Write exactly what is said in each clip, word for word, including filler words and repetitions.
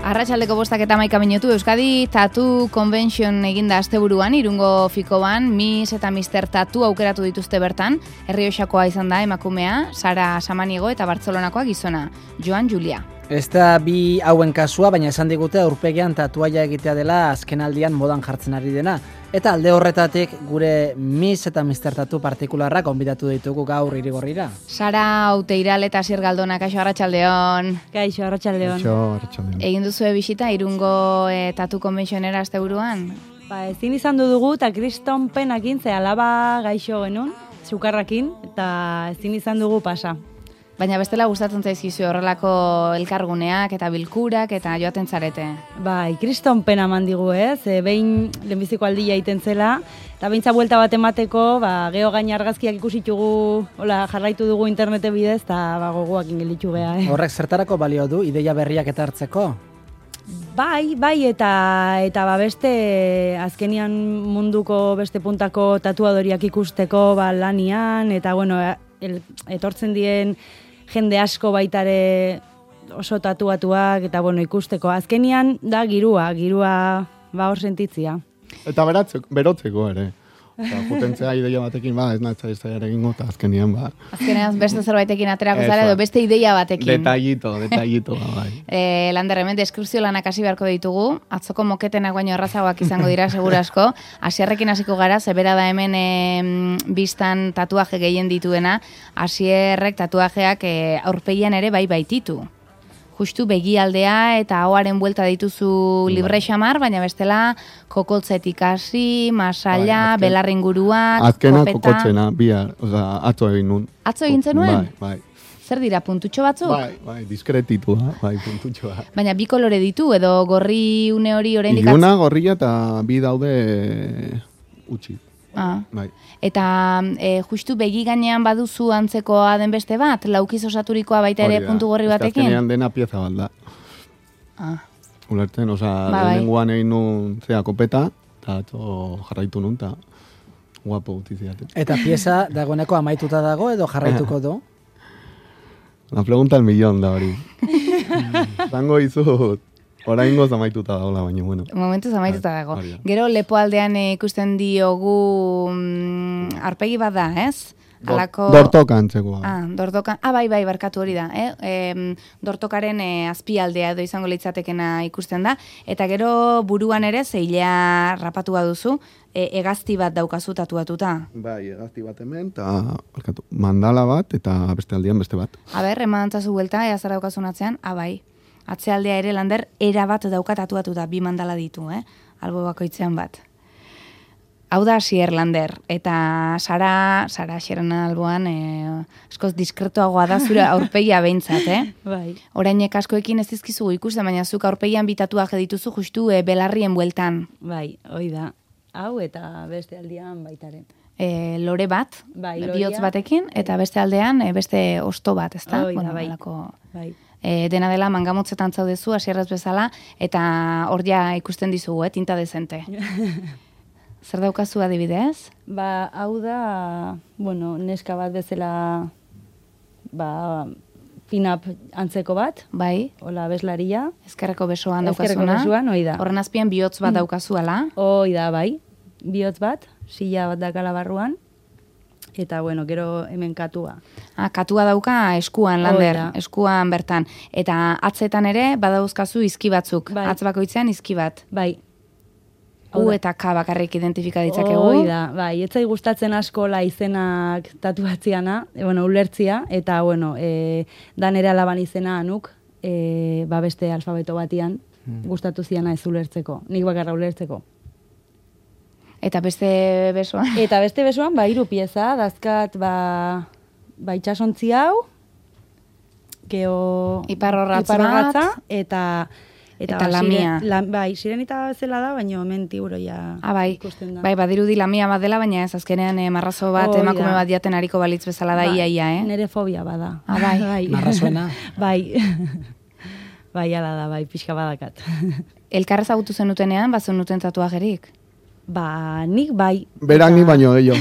Arratsaldeko bostak eta hamaika minutu Euskadi Tattoo Convention eginda asteburuan Irungo Fikoban Miss eta Mister Tattoo aukeratu dituzte bertan. Errioxakoa izan da emakumea, Sara Samaniego eta Bartzelonakoa gizona, Joan Julia. Ez da bi hauen kasua, baina esan digute aurpegian tatuaia egitea dela azkenaldian modan jartzen ari dena. Eta alde horretatik gure Miss eta Mister Tattoo partikularrak gonbidatu ditugu gaur Irigorrira. Sara Outeiral eta Asier Galdona, kaixo arratsaldeon. Kaixo arratsaldeon. Kaixo arratsaldeon. Egin duzu bisita Irungo e, Tattoo Conventionera asteburuan? Ba, ezin izan du dugu eta kriston penakin ze alaba gaixo genuen, sukarrakin, eta ezin izan dugu pasa. Baina bestela gustatzen zaizkizu horrelako elkarguneak eta bilkurak eta joaten zarete. Bai, kriston pena eman digu, ez? E, behin lehenbiziko aldia egiten zela, eta beintza buelta bat emateko, ba, geho gaina argazkiak ikusitugu, hola, jarraitu dugu internete bidez, eta ba, gogoak ingelitu geha, eh? Horrek zertarako balio du, ideia berriak eta hartzeko? Bai, bai, eta eta ba beste azkenian munduko beste puntako tatuadoriak ikusteko ba lanian, eta bueno, el, etortzen dien jende asko baitare oso tatuatuak, eta bueno, ikusteko. Azkenian da girua, girua ba hor sentitzia. Eta beratzeko, berotzeko ere. Eta jutentzea ideia batekin, ba, ez natza ez ere egingo, eta azkenian, ba. Azkenean beste zerbaitekin aterako zara edo beste ideia batekin. Detallito, detallito, ba, bai. E, Lander, hemen deskripzio lanak hasi beharko ditugu, atzoko moketenak baino errazagoak izango dira segurasko. Asierrekin hasiko gara, zebera da hemen e, biztan tatuaje gehien dituena, Asierrek tatuajeak e, aurpegian ere bai baititu. Justu begialdea eta ahoaren buelta dituzu libre xamar, baina bestela kokotzetik hasi, masalla, bai, belarren guruak, azkena kopeta. Kokotzena, bihar, oza, atzo egin nun. Atzo egin zenuen? Bai, bai. Zer dira, puntutxo batzuk? Bai, bai, diskretitu, bai, puntutxoa. Baina bi kolore ditu, edo gorri une hori oraindik Iluna, gorria eta bi daude utzi. Ah. Bai. Eta e, justu begi gainean baduzu antzekoa den beste bat, laukiz osaturikoa baita ere puntu gorri batekin? Azkenean dena pieza bat da. Ah. Ulertzen, oza, ba, lehenengoan egin nun zea kopeta, eta atzo jarraitu nun, eta guapo gutiziaten. Eta pieza dagoeneko amaituta dago edo jarraituko du? La pregunta al millón da hori. Zango izut. Oraingo zamaituta dagoela, baina, bueno. Momentu zamaituta dago. Gero, lepoaldean ikusten diogu mm, arpegi bat da, ez? Alako... Dortoka antzekoa. Ah, dortoka. Ah, bai, bai, barkatu hori da. Eh? E, dortokaren e, azpialdea edo izango litzatekena ikusten da. Eta gero, buruan ere, zeilea rapatu baduzu, e, egazti bat daukazu tatuatuta. Bai, egazti bat hemen, eta mandala bat, eta beste aldian beste bat. A ber, eman antzazu buelta, ea zer daukazun atzean? Ah, bai. Atzealdea ere Lander era bat dauka tatuatuta, bi mandala ditu, eh? Albo bakoitzean bat. Hau da Asier Lander, eta Sara, Sara Asierren alboan, eh, askoz diskretoagoa da zure aurpegia behintzat, eh? Bai. Orainek askoekin ez dizkizugu ikusten, baina zuk aurpegian bi tatuaje dituzu justu eh, belarrien bueltan. Bai, hoi da. Hau eta beste aldian baitaren. E, lore bat, bai, bihotz batekin, eta beste aldean e, beste osto bat, ezta? Hoi da, bueno, bai. Alako... bai. E, dena dela mangamotzetan zaudezu, Asierrez bezala, eta hor ja ikusten dizugu, eh, tinta dezente. Zer daukazu adibidez? Ba, hau da, bueno, neska bat bezala, ba, pin-up antzeko bat. Bai. Hola, beslaria. Ezkerreko besoan daukazuna. daukazuna. Ezkerreko besoan, hoi da. Horren azpian bihotz bat daukazu, ala? Hoi da, bai. Bihotz bat, silla bat dakala barruan. Eta, bueno, gero hemen katua. Ah, katua dauka eskuan, Lander, eskuan bertan. Eta atzetan ere, badauzkazu izki batzuk. Bai. Atz bakoitzean izki bat. Bai. U eta K bakarrik identifika ditzakegu. Hoi da, bai, etzai gustatzen asko la izenak tatuatziana, e, bueno, ulertzia, eta, bueno, e, da nere alaban izena anuk, e, ba beste alfabeto batian, hmm. gustatu ziana ez ulertzeko, nik bakarra ulertzeko. Eta beste besoan? Eta beste besoan, ba, hiru pieza, dazkat, ba, ba itxasontzi hau, geho... Iparrorratz bat. Eta... Eta, eta lamia. La, bai, sirenita zela da, baina hemen tiburoia ah, bai. ikusten da. Bai, badirudi lamia bat dela, baina ez azkenean eh, marrazo bat, oh, emakume bat jaten hariko balitz bezala da, bai, ia, ia, eh? Nere fobia bada. Ah, bai. bai. Marrazuena. bai. bai, ala da, bai, pixka badakat. Elkarrez agutu zenutenean, bat zenuten tatuajerik? Ba, nik bai. Berak ni baino gehiago.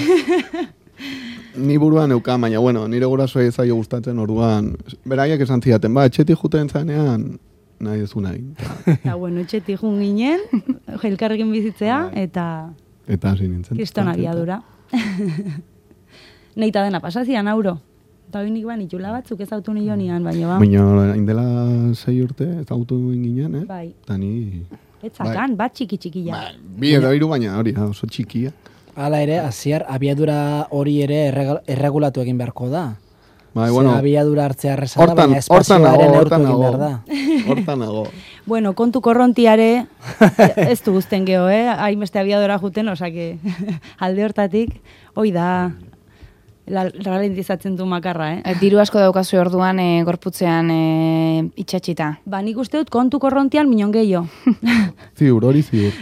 Ni buruan euka, baina, bueno, nire gurasoa ezaio gustatzen orduan. Beraiek esan zidaten, ba, etxetik juten zanean, nahi ez nahi. Eta, bueno, etxetik jun ginen, elkarrekin bizitzea, eta... Eta hasi nintzen. Kriston abiadura. Neita dena pasazian, auro. Eta hori nik ban, itxula batzuk ez autu nio nian, baina ba. Baina, indela sei urte, ez autu ginen, eh? Bai. Eta ni... Etzakan, bat txiki-txikia. Ba, bi edo hiru baina hori, oso txikia. Hala ere, hasier abiadura hori ere errega- erregulatu egin beharko da. Bai, Ze bueno, abiadura hartzea erreza da, hortan, baina hortan nago, espazioaren neurtu hortan egin nago. behar da. Hortan nago. Bueno, kontu korrontiare, ez du guzten geho, eh? Hainbeste abiadora juten, osake, alde hortatik, hoi da, la- ralentizatzen du makarra, eh? E, diru asko daukazu orduan e, gorputzean e, itxatxita. Ba, nik uste dut kontu korrontian minon gehiago. Ziur, hori ziur.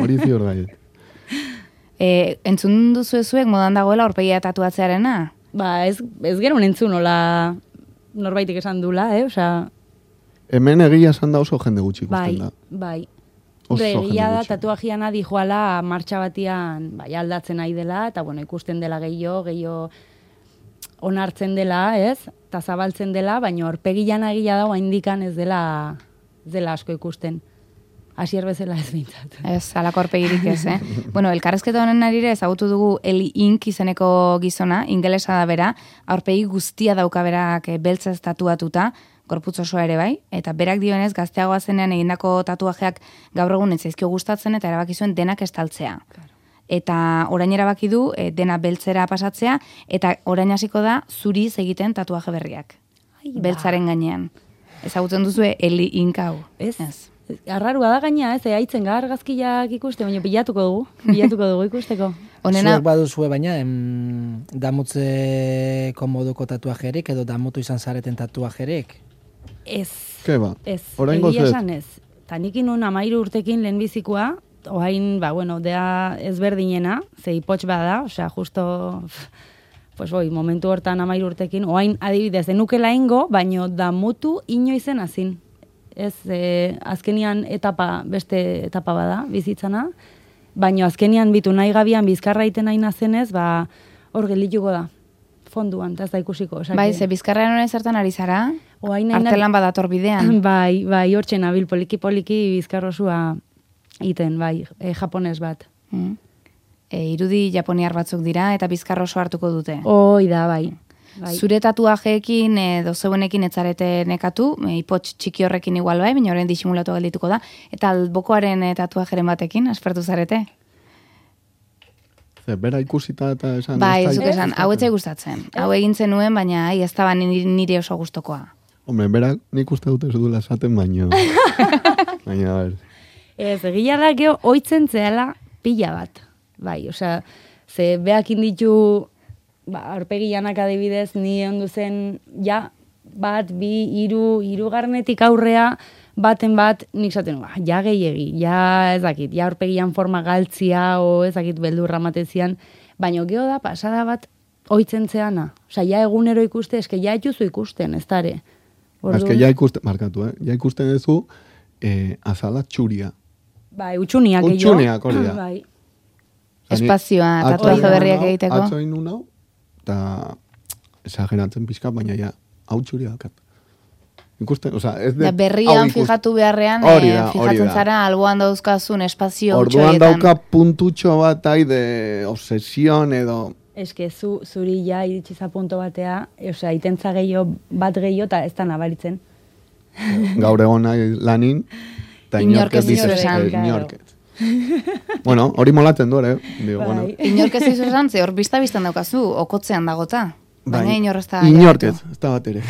Hori ziur gaiet. E, entzun duzu ezuek modan dagoela aurpegia tatuatzearena? Ba, ez, ez gero entzun, nola norbaitik esan dula, eh? Osea, Hemen egia esan da oso jende gutxi bai, ikusten da. bai. Oso Hombre, jende egia da, gutxi. tatuajiana dijoala martxa batian bai, aldatzen nahi dela, eta bueno, ikusten dela gehiago, gehiago onartzen dela, ez? Eta zabaltzen dela, baina aurpegian egia da, indikan ez dela, ez dela asko ikusten. Hasier bezala ez bintzat. Ez, alako aurpegirik ez, eh? Bueno, elkarrezketa honen arire ezagutu dugu Eli Ink izeneko gizona, ingelesa da bera, aurpegi guztia dauka berak eh, beltzez tatuatuta, gorputz osoa ere bai, eta berak dioenez gazteagoa zenean egindako tatuajeak gaur egun ez zaizkio gustatzen eta erabaki zuen denak estaltzea. Eta orain erabaki du eh, dena beltzera pasatzea, eta orain hasiko da zuriz egiten tatuaje berriak. Ai, ba. Beltzaren gainean. Ezagutzen duzue Eli Ink hau. Ez? Arrarua da gaina, ez, haitzen gar gazkiak ikuste, baina bilatuko dugu, bilatuko dugu ikusteko. Honena, Zuek baduzue baina, em, damutzeko moduko tatuajerik edo damutu izan zareten tatuajerik? Ez, Ke ba? ez, Oraingoz egia ez. esan ez. Ta nik inun amairu urtekin lehenbizikoa, oain, ba, bueno, dea ezberdinena, ze ipotx bada, osea, justo, pues boi, momentu hortan amairu urtekin, oain adibidez, denukela ingo, baino damutu inoizen azin. Ez, e, azkenian etapa, beste etapa bada, bizitzana, baino azkenian bitu nahi gabian bizkarra iten nahi nazenez, ba, hor gelituko da, fonduan, eta ez da ikusiko. Osake, bai, ze bizkarraren honen zertan ari zara? oain nahi Artelan badator bidean. Bai, bai, hortzen nabil poliki-poliki bizkarrosua iten, bai, e, japones bat. Mm. E, irudi japoniar batzuk dira eta bizkar oso hartuko dute. Hoi da, bai. bai. Zure tatuajeekin edo zeuenekin etzarete nekatu, e, ipotx txiki horrekin igual bai, baina horren disimulatu geldituko da. Eta albokoaren e, tatuajeren batekin, aspertu zarete? Ze, bera ikusita eta esan... Bai, ez da zuk esan, hau etzai gustatzen. Hau egin zenuen, baina ai, ez da nire, nire oso gustokoa. Hombre, berak nik uste dut ez duela esaten, baino... baina, a ber... Ez, egia da geho, oitzen zehala pila bat. Bai, osea, ze beakin ditu, ba, aurpegianak adibidez, ni ondu zen, ja, bat, bi, hiru, hirugarrenetik aurrea, baten bat, nik zaten, ba, ja gehiegi, ja ez dakit, ja aurpegian forma galtzia, o ez dakit beldurra matezian, baina geho da, pasada bat, oitzen zeana. Osea, ja egunero ikuste, eske ja etxuzu ikusten, ez dare. Azke, ja ikusten, markatu, eh? Ja ikusten duzu, eh, azala txuria. Bai, utxuniak gehiago. Utxuniak hori da. Bai. Espazioa, tatuaje berriak egiteko. Atzo egin nun hau, eta esageratzen pixka, baina ja, hau txuria dakat. Ikusten, oza, ez de... Da berrian hau ikus- fijatu beharrean, Hori eh, da, hori fijatzen da. zara alboan dauzkazun espazio Orduan utxoietan. dauka puntutxo bat ai de obsesion edo... Eske, zu, zuri ja iritsiza punto batea, osea, itentza gehiago, bat gehiago, eta ez da nabaritzen. Gaur egon nahi lanin, eta Inork ez inork dizu dices, esan, eh, claro. inork ez. Bueno, hori molatzen du, eh? Digo, Bai. bueno, Inork ez dizu esan, ze hor bizta-biztan daukazu, okotzean dagota. Baina bai. inor ez da... Inork ez, ez da bat ere.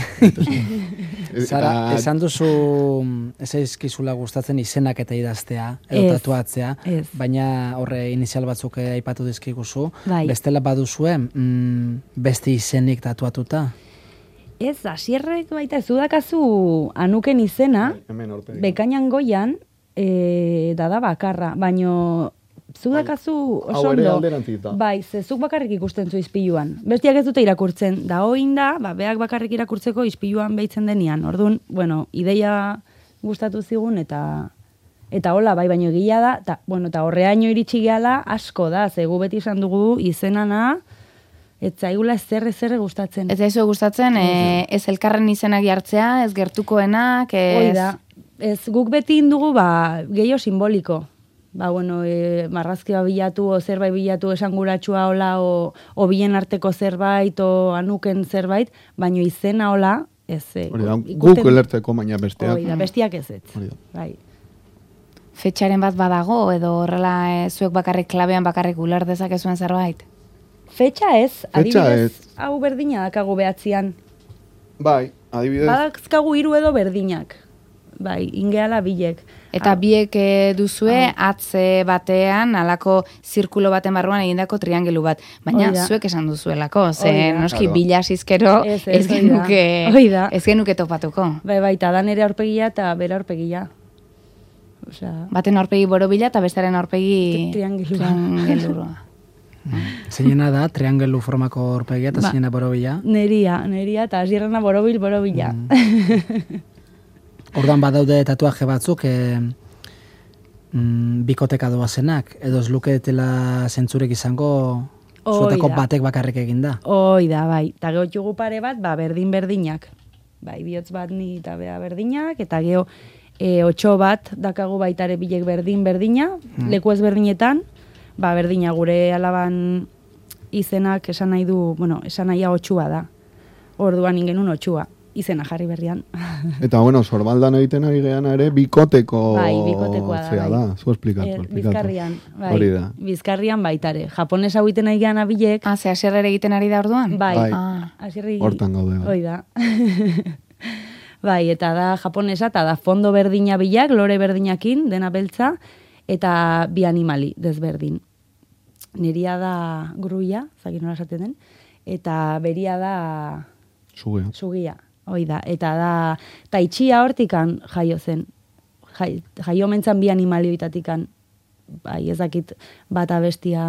Zara, Eta- esan duzu ez zaizkizula gustatzen izenak eta idaztea, edo Ez, tatuatzea, ez. baina horre inizial batzuk eh, aipatu dizkiguzu, Bai. bestela baduzue mm, beste izenik tatuatuta. Ez, asierrek baita, zu dakazu anuken izena, Hemen aurpegi. bekainan goian, e, dada bakarra, baino zu dakazu oso hau ere ondo. alderantziz da. Bai, ze zuk bakarrik ikusten zu izpiluan. Bestiak ez dute irakurtzen. Da hoin da, ba, beak bakarrik irakurtzeko izpiluan behitzen denian. Orduan, bueno, ideia gustatu zigun eta eta hola, bai, baino egia da, ta, bueno, eta horreaino iritsi gehala asko da, ze gu beti esan dugu izenana, ez zaigula ezer ezer gustatzen. Ez daizu gustatzen, eh, ez elkarren izenak jartzea, ez gertukoenak, ez... Hoi da. Ez, guk beti indugu, ba, gehiago simboliko. Ba, bueno, e, marrazkia bilatu, o zerbait bilatu esanguratsua hola, o, o bien arteko zerbait, o anuken zerbait, baino izena hola, ez. E, Hori da, ikusten- guk elertzeko baina besteak. Hori da, bestiak ez ez. Hori da. Bai. Fetxaren bat badago, edo horrela e, zuek bakarrik klabean bakarrik uler dezakezuen zerbait? Fetxa ez, Fetxa adibidez, ez. hau berdina dakagu behatzian. Bai, adibidez, Badazkagu hiru edo berdinak. Bai, ingeala bilek. Eta Ah, biek e, duzue atze batean, alako zirkulo baten barruan egindako triangelu bat. Baina Hori da. zuek esan duzuelako, ze Hori da. noski Claro. bilasizkero Ez, ez, ez, hori da. genuke, Hori da. ez genuke topatuko. Bai, bai, eta da nere aurpegia eta bere aurpegia. Osea, Baten aurpegi borobila eta bestaren aurpegi Triangelua. triangelua. Zeinena da, triangelu formako aurpegia eta Ba. zeinena borobila. neria, neria, eta hasierrena borobil, borobila. Ordan badaude tatuaje batzuk, e, mm, bikoteka doazenak, edo ez luketela zentzurek izango zuetako Hoi da. batek bakarrik eginda. Hoi da, bai. Eta geho txugu pare bat, ba, berdin-berdinak. Bai, bihotz bat ni eta bea berdinak, eta geho e, otxo bat dakagu baitare bilek berdin-berdina, leku ezberdinetan, ba, berdina gure alaban izenak esan nahi du, bueno, esan nahia otxua da. Orduan ingenun otxua, izena jarri berrian. eta bueno, sorbaldan egiten ari geana ere, bikoteko Bai, bikotekoa da, zea bai. da, zu esplikatu. Er, esplikatu. Bizkarrian, bai. Hori da. Bizkarrian baitare. Japones hau egiten nahi gehan abilek, Ah, ze hasierrere egiten ari da orduan? bai. Bai. Ah, Hasierri- Hortan gaude, bai. Hoi da. Bai, eta da japonesa, eta da fondo berdina bilak, lore berdinakin, dena beltza, eta bi animali desberdin. Niria da gruia, zakin nola esaten den, eta beria da Zugea. sugia, hoi da. Eta da, eta itxia hortikan jaio zen. Jai, jaio mentzan bi animalioitatikan, bai, ez dakit bata bestia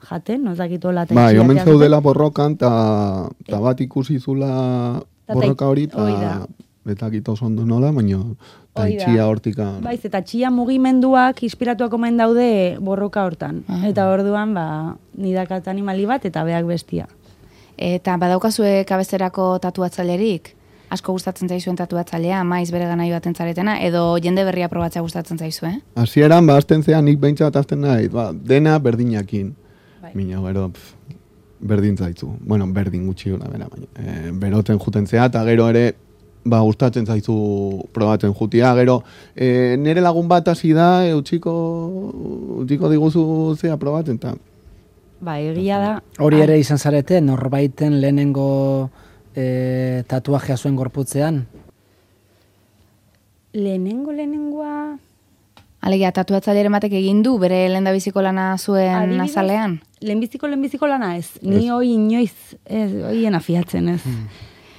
jaten, no ez dakit hola eta Bai, itxia omen jaten. zaudela borrokan, ta, ta bat ikusi zula Ta- borroka hori, hoi da. eta betak oso ondo nola, baina ta Hoi da. itxia hortikan. Baiz, eta txia mugimenduak inspiratuak omen daude borroka hortan. Ah. Eta orduan, ba, nidakat animali bat eta beak bestia. Eta badaukazue kabezerako tatuatzailerik? Asko gustatzen zaizuen tatuatzailea, maiz bere gana joaten zaretena, edo jende berria probatzea gustatzen zaizue? Hasieran ba, azten zean, nik behintzat azten nahi, ba, dena berdinakin. Bai. Mina, gero, pf, berdin zaitzu. Bueno, berdin gutxi gora, bera, baina. E, beroten juten zea, eta gero ere, ba, gustatzen zaizu probatzen jutia, gero, e, nire lagun bat hasi da, e, utziko, utziko diguzu zea probatzen, eta Ba, egia da. Hori ah, ere izan zarete, norbaiten lehenengo e, tatuajea zuen gorputzean. Lehenengo, lehenengoa... Alegia, tatuatzaileren batek egin du bere lehendabiziko lana zuen Adibidez, azalean? Lehenbiziko, lehenbiziko lana ez. Ni Ez. hoi inoiz, ez, hoien afiatzen ez.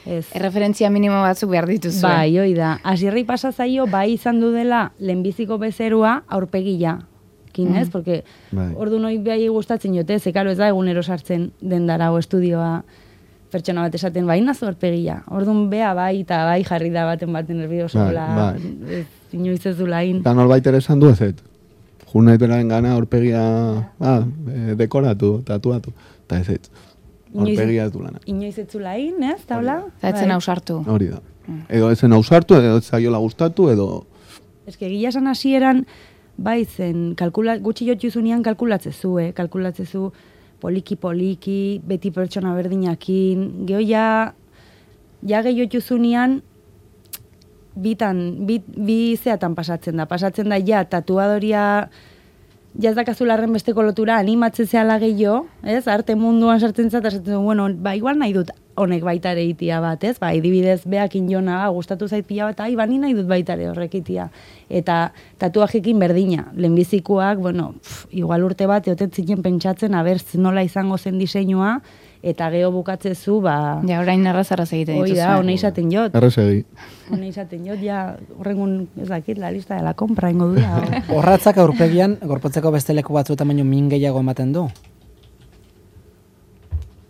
Ez. Erreferentzia minimo batzuk behar dituzue. Bai, hoi da. Asierri pasa zaio, bai izan du dela lehenbiziko bezerua aurpegia. Kinez, porque Bai. ordu noi bai gustatzen jote, ze karo ez da egunero sartzen dendara o estudioa pertsona bat esaten bai nazu aurpegia. Ordun bea bai eta bai jarri da baten baten nervioso Bai, hola. bai. Ez, inoiz ez du lain. eta norbait ere esan du ezet. Jun nahi beraren gana aurpegia, ah, e, dekoratu, tatuatu, eta ezet. Inoiz- Aurpegia ez du lana. Inoiz ez zu lain, ez, taula? Eta etzen Bai. ausartu. Hori da. Edo ezen ausartu, edo ez zaiola gustatu, edo... Ez que gila esan hasieran, bai zen, kalkula, gutxi jotu zunean kalkulatzezu, eh? Kalkulatzezu poliki-poliki, beti pertsona berdinakin, geho ja, ja gehi jotu zunean, bitan, bit, bi zeatan pasatzen da. Pasatzen da ja, tatuadoria, ja ez dakazularren besteko lotura, animatzen zehala gehiago, ez? Arte munduan sartzen zat, esaten du, bueno, ba, igual nahi dut honek baita ere itia bat, ez? Ba, adibidez, beakin jona, ba, gustatu zait pila bat, ai, ba, ni nahi dut baita ere horrek itia. Eta tatuajekin berdina, lehenbizikoak, bueno, pf, igual urte bat, eoten zinen pentsatzen, aber, nola izango zen diseinua, eta geho bukatzezu, ba, Ja, orain erraz-erraz egiten hoi dituzue. da, hone izaten jot. Errezegi. Hone izaten jot, ja, horrengun, ez dakit, la lista de la compra ingo dula. o- Horratzak aurpegian, gorputzeko beste leku batzuetan baino min gehiago ematen du.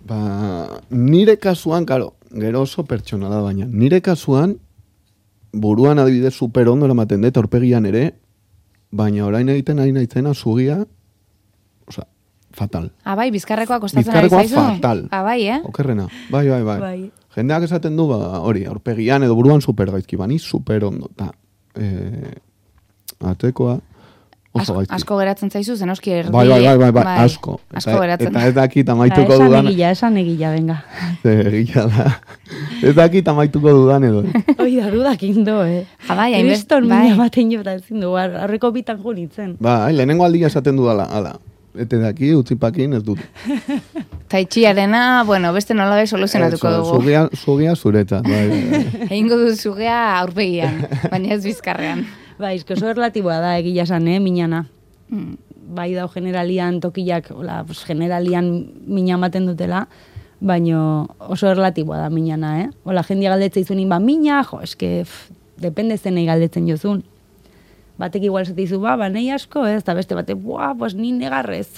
Ba, nire kasuan, karo, gero oso pertsonala baina, nire kasuan, buruan adibidez super ondo eramaten dut, aurpegian ere, baina orain egiten ari naitzena zugia, osea, fatal. Ah, bai, bizkarrekoa kostatzen ari Bizkarrekoa zaizu? fatal. Ah, bai, eh? Okerrena, bai, bai, bai. Bai. Jendeak esaten du, ba, hori, aurpegian edo buruan super gaizki, bani super ondo, eta e, batekoa. Oso gaizki. Asko geratzen zaizu, zenoski erdi. Bai, bai, bai, bai, bai, asko. Asko Eta, geratzen. eta ez dakit amaituko Esan dudan. egila, esan egila, venga. Egila da. Ez dakit amaituko dudan edo. Hoi da, dudak indo, eh. Ja, bai, hainbest- Kriston bai. mina batein jota ezin du, arreko bitan jo nintzen. Bai, lehenengo aldia esaten du ala, ala. Ete daki, utzipakin ez dut. Taitxiarena, bueno, beste nolabe soluzionatuko Eso, dugu. Zugia, zugia zuretzat, bai, bai, bai. Egingo du zugea aurpegian, baina ez bizkarrean. Bai, esko oso erlatiboa da egia esan, eh, minana. Mm. Bai dau generalian tokiak, hola, pues, generalian mina ematen dutela, baino oso erlatiboa da minana, eh? Hola, jendia galdetzen izunin, ba, mina, jo, eske, pff, depende zenei galdetzen jozun. Batek igual zetizu, ba, ba, nahi asko, ez, eta beste batek, buah, pues ni negarrez.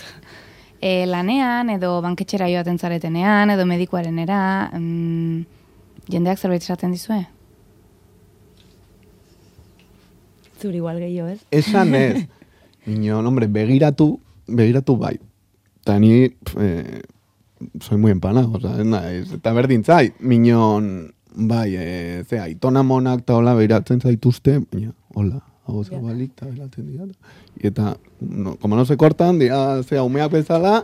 E, lanean, edo banketxera joaten zaretenean, edo medikuarenera, mm, jendeak zerbait esaten dizue? Zuri igual gehiago, ez? Esan ez. Minon, hombre, begiratu, begiratu bai. Eta ni, pf, eh, soy muy empanado, o sea, ez naiz, eta berdin zait. Minon, bai, eh, zea, itona monak eta hola begiratzen zaituzte, baina, hola, hau zabalik eta beratzen dira. Eta, no, como no se cortan, dira, zea, umeak bezala,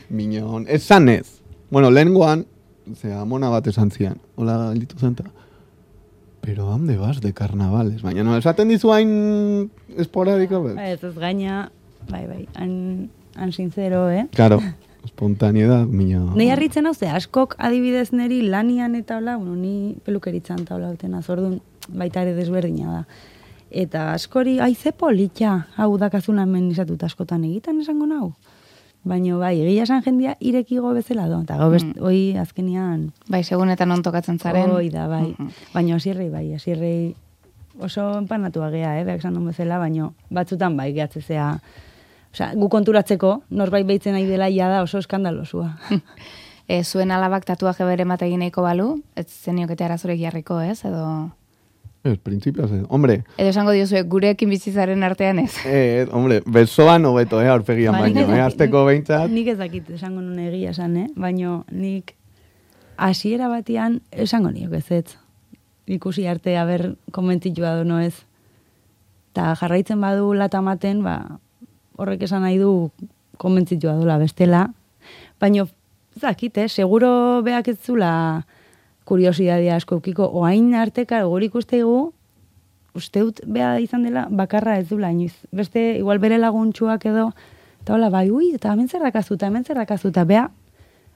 minon, esan ez. Bueno, lehengoan, zea, mona bat esan zian, hola, gelditu zenta. Pero ¿dónde vas de carnavales? Baina no, esaten dizu hain esporadiko, bez? Ez, ez gaina, bai, bai, han, han sincero, eh? Claro, espontaneidad, miño. Nei harritzen hau, ze askok adibidez neri lanian eta hola, bueno, ni pelukeritzan eta hola utena, zordun baita ere desberdina da. Eta askori, ai, ze politxa, hau dakazun hemen izatut askotan egiten esango nau. Baina bai, egia esan jendia irekigo bezala do. Eta gau best, Mm. hoi azkenian, Bai, segunetan non tokatzen zaren. hoi da, bai. Mhm. Baina asierrei, bai, asierrei oso empanatu agea, eh, beak esan duen bezala, baina batzutan bai, gehatzezea, osea, gu konturatzeko, norbait behitzen nahi dela ia da oso eskandalosua. E, zuen alabak tatuaje bere mate egin nahiko balu, ez zeniokete arazurek jarriko, ez? Edo, Ez, principios, ez. Hombre, edo esango diozue, gurekin bizitzaren artean ez. eh, hombre, besoan hobeto, eh, aurpegian Ba, nik baino, ez eh, dakit- azteko behintzat. Nik ez dakit esango nun egia esan, eh? Baina nik hasiera batean esango niok ez ez. Ikusi arte aber konbentzitua do no ez. Ta jarraitzen badu lata ematen, ba, horrek esan nahi du konbentzitua dola bestela. Baina, ez dakit, eh? Seguro beak ez zula kuriosidadia asko eukiko, oain arteka guri ikusteigu, uste dut bea izan dela bakarra ez dula inoiz. Beste, igual bere laguntxuak edo, eta hola, bai, ui, eta hemen zerrakazu, eta hemen zerrakazu, eta bea,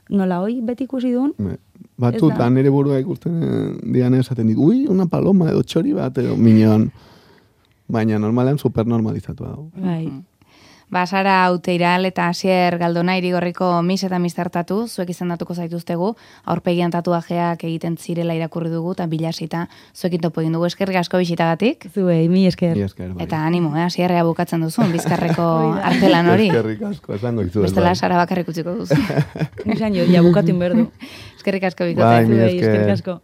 nola hoi beti ikusi duen, Me- Batzutan nire burua ikusten eh, dian esaten dit, ui, una paloma edo txori bat, edo minon. Baina normalean supernormalizatua dago. bai. Ba, Sara Uteiral eta Asier Galdona Irigorriko mis eta mistertatu, zuek izendatuko zaituztegu, aurpegian tatuajeak egiten zirela irakurri dugu, eta bilasita zuekin topo egin dugu, eskerrik asko bisitagatik, Zuei, mi esker. Ni esker, bai. eta animo, eh, Asierrea bukatzen duzun, bizkarreko Hoi da. artelan hori. Eskerrik asko, esango izu. Bestela Sara bakarrik utziko duzu. Nisan jo, ja bukatu inberdu. Eskerrik asko Bai, bikote. mi Zuei, esker. eskerrik asko.